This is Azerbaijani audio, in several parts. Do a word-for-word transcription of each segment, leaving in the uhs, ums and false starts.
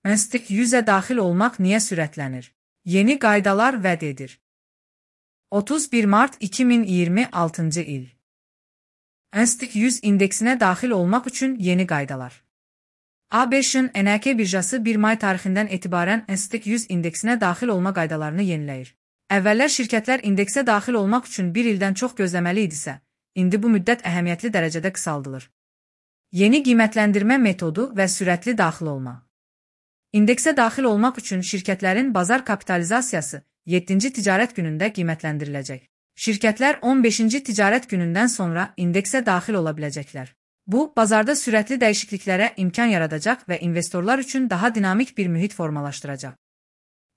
N S T yüzə daxil olmaq niyə sürətlənir? Yeni qaydalar vəd edir. otuz bir mart iki min iyirmi altıncı il. N S T yüz indeksinə daxil olmaq üçün yeni qaydalar. A B Ş'ın N A K birjası bir may tarixindən etibarən N S T yüz indeksinə daxil olma qaydalarını yeniləyir. Əvvəllər şirkətlər indeksə daxil olmaq üçün bir ildən çox gözləməli idisə, indi bu müddət əhəmiyyətli dərəcədə qısaldılır. Yeni qiymətləndirmə metodu və sürətli daxil olma. İndeksə daxil olmaq üçün şirkətlərin bazar kapitalizasiyası yeddinci ticarət günündə qiymətləndiriləcək. Şirkətlər on beşinci ticarət günündən sonra indeksə daxil ola biləcəklər. Bu, bazarda sürətli dəyişikliklərə imkan yaradacaq və investorlar üçün daha dinamik bir mühit formalaşdıracaq.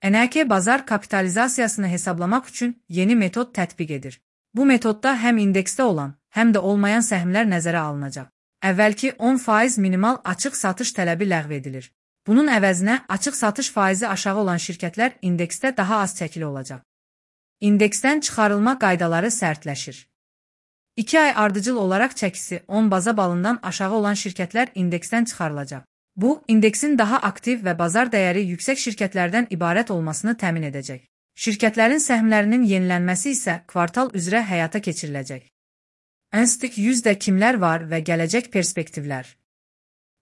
N A K bazar kapitalizasiyasını hesablamaq üçün yeni metod tətbiq edir. Bu metodda həm indeksdə olan, həm də olmayan səhmlər nəzərə alınacaq. Əvvəlki on faiz minimal açıq satış tələbi ləğv edilir. Bunun əvəzinə açıq satış faizi aşağı olan şirkətlər indeksdə daha az çəkili olacaq. İndeksdən çıxarılma qaydaları sərtləşir. iki ay ardıcıl olaraq çəkisi on baza balından aşağı olan şirkətlər indeksdən çıxarılacaq. Bu, indeksin daha aktiv və bazar dəyəri yüksək şirkətlərdən ibarət olmasını təmin edəcək. Şirkətlərin səhmlərinin yenilənməsi isə kvartal üzrə həyata keçiriləcək. N S T yüzdə kimlər var və gələcək perspektivlər?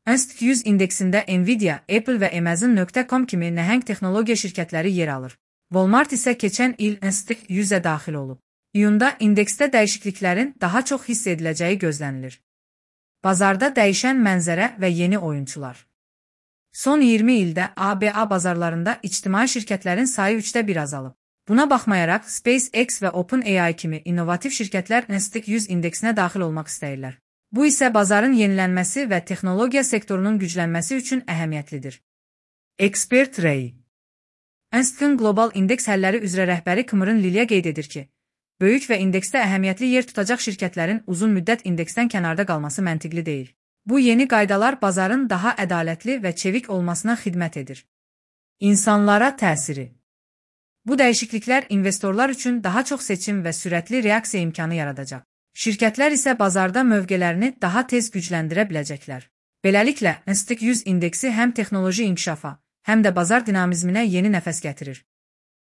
N S T yüz indeksində Nvidia, Apple və Amazon nöqtə com kimi nəhəng texnologiya şirkətləri yer alır. Walmart isə keçən il N S T yüzə daxil olub. İyunda indeksdə dəyişikliklərin daha çox hiss ediləcəyi gözlənilir. Bazarda dəyişən mənzərə və yeni oyunçular. Son iyirmi ildə A B A bazarlarında ictimai şirkətlərin sayı üçdə bir azalıb. Buna baxmayaraq SpaceX və OpenAI kimi innovativ şirkətlər N S T yüz indeksinə daxil olmaq istəyirlər. Bu isə bazarın yenilənməsi və texnologiya sektorunun güclənməsi üçün əhəmiyyətlidir. Expert Ray N S T-in qlobal indeks həlləri üzrə rəhbəri Kımırın Lilya qeyd edir ki, böyük və indeksdə əhəmiyyətli yer tutacaq şirkətlərin uzun müddət indeksdən kənarda qalması məntiqli deyil. Bu yeni qaydalar bazarın daha ədalətli və çevik olmasına xidmət edir. İnsanlara təsiri. Bu dəyişikliklər investorlar üçün daha çox seçim və sürətli reaksiya imkanı yaradacaq. Şirkətlər isə bazarda mövqelərini daha tez gücləndirə biləcəklər. Beləliklə, N S T yüz indeksi həm texnoloji inkişafa, həm də bazar dinamizminə yeni nəfəs gətirir.